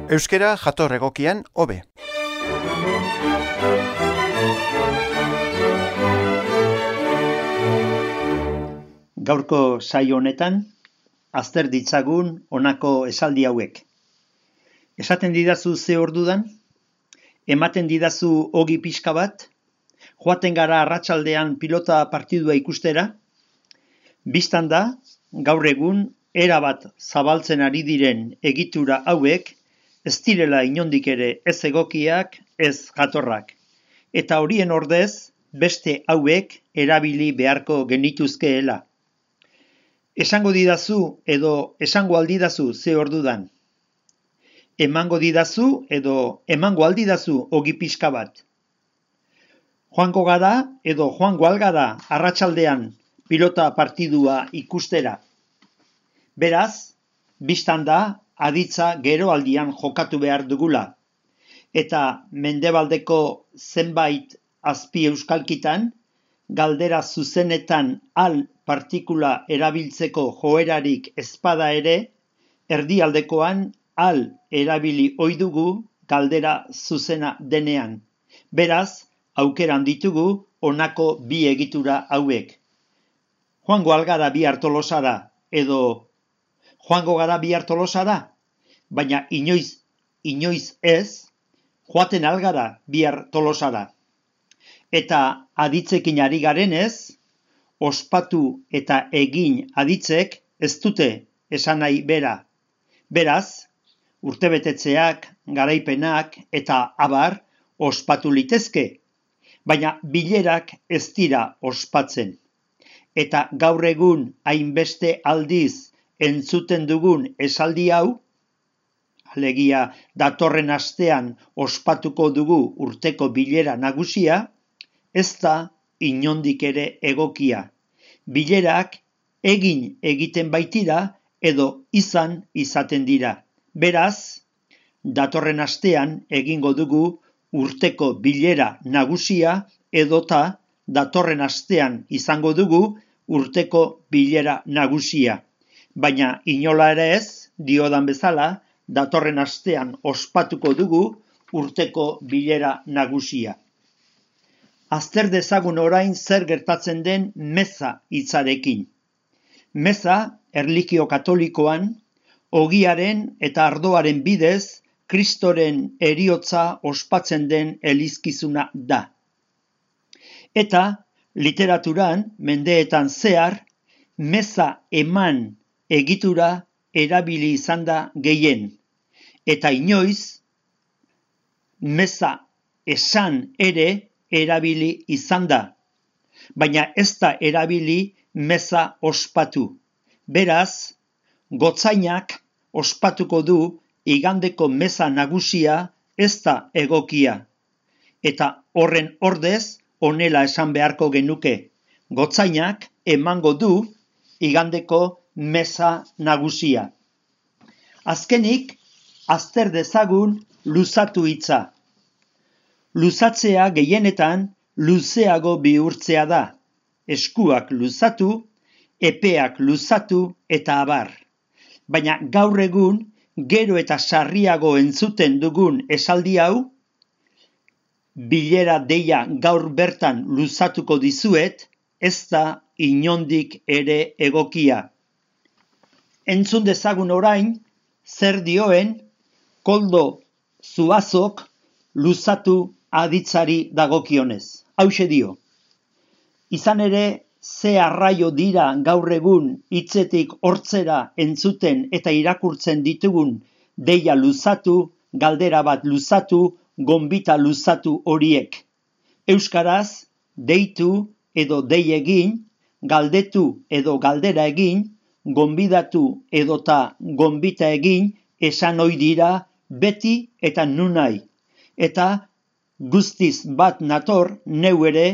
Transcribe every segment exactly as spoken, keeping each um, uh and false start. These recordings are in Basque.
Euskera jator egokian hobe. Gaurko saio honetan, azter ditzagun honako esaldi hauek. Esaten didazu ze ordudan? Ematen didazu ogi pixka bat? Joaten gara arratsaldean pilota partidua ikustera? Bistan da, gaur egun, erabat zabaltzen ari diren egitura hauek, ez direla inondik ere ez egokiak, ez jatorrak. Eta horien ordez, beste hauek erabili beharko genituzkeela. Esango didazu edo esango aldidazu ze ordudan. Emango didazu edo emango aldidazu ogi pixka bat. Joango gara edo joango algara arratsaldean pilota partidua ikustera. Beraz, bistan da, aditza geroaldian jokatu behar dugula. Eta mendebaldeko zenbait azpi euskalkitan, galdera zuzenetan al partikula erabiltzeko joerarik ezpada ere, erdialdekoan al erabili ohi dugu galdera zuzena denean. Beraz, aukeran ditugu honako bi egitura hauek. Joango algara bihar Tolosara edo joango gara bihar Tolosara, baina inoiz, inoiz ez, joaten algara bihar Tolosara. Eta aditzekin ari garenez, ospatu eta egin aditzek ez dute esan nahi bera. Beraz, urtebetetzeak, garaipenak eta abar ospatu litezke, baina bilerak ez dira ospatzen. Eta gaur egun hainbeste aldiz entzuten dugun esaldi hau, alegia datorren astean ospatuko dugu urteko bilera nagusia, ez da inondik ere egokia. Bilerak egin egiten baitira edo izan izaten dira. Beraz, datorren astean egingo dugu urteko bilera nagusia edota datorren astean izango dugu urteko bilera nagusia. Baina inola ere ez, diodan bezala, datorren astean ospatuko dugu urteko bilera nagusia. Azter dezagun orain zer gertatzen den meza hitzarekin. Meza, erlijio katolikoan, ogiaren eta ardoaren bidez, Kristoren heriotza ospatzen den elizkizuna da. Eta, literaturan, mendeetan zehar, meza eman egitura erabili izan da gehien, eta inoiz, meza esan ere erabili izan da, baina ez da erabili meza ospatu. Beraz, gotzainak ospatuko du igandeko meza nagusia ez da egokia, eta horren ordez honela esan beharko genuke, gotzainak emango du igandeko meza nagusia. Azkenik, azter dezagun luzatu hitza. Luzatzea gehienetan luzeago bihurtzea da. Eskuak luzatu, epeak luzatu eta abar. Baina gaur egun, gero eta sarriago entzuten dugun esaldi hau, bilera deia gaur bertan luzatuko dizuet, ez da inondik ere egokia. Entzun dezagun orain, zer dioen, Koldo Zuazok luzatu aditzari dagokionez. Hauxe dio. Izan ere, ze arraio dira gaur egun hitzetik hortzera entzuten eta irakurtzen ditugun deia luzatu, galdera bat luzatu, gonbita luzatu horiek. Euskaraz, deitu edo dei egin, galdetu edo galdera egin, gonbidatu edota gonbita egin esan ohi dira beti eta nunai. Eta guztiz bat nator neu ere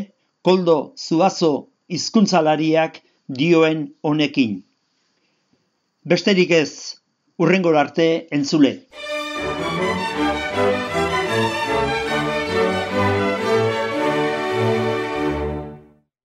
Koldo Zuazo hizkuntzalariak dioen honekin. Besterik ez, hurrengora arte entzule.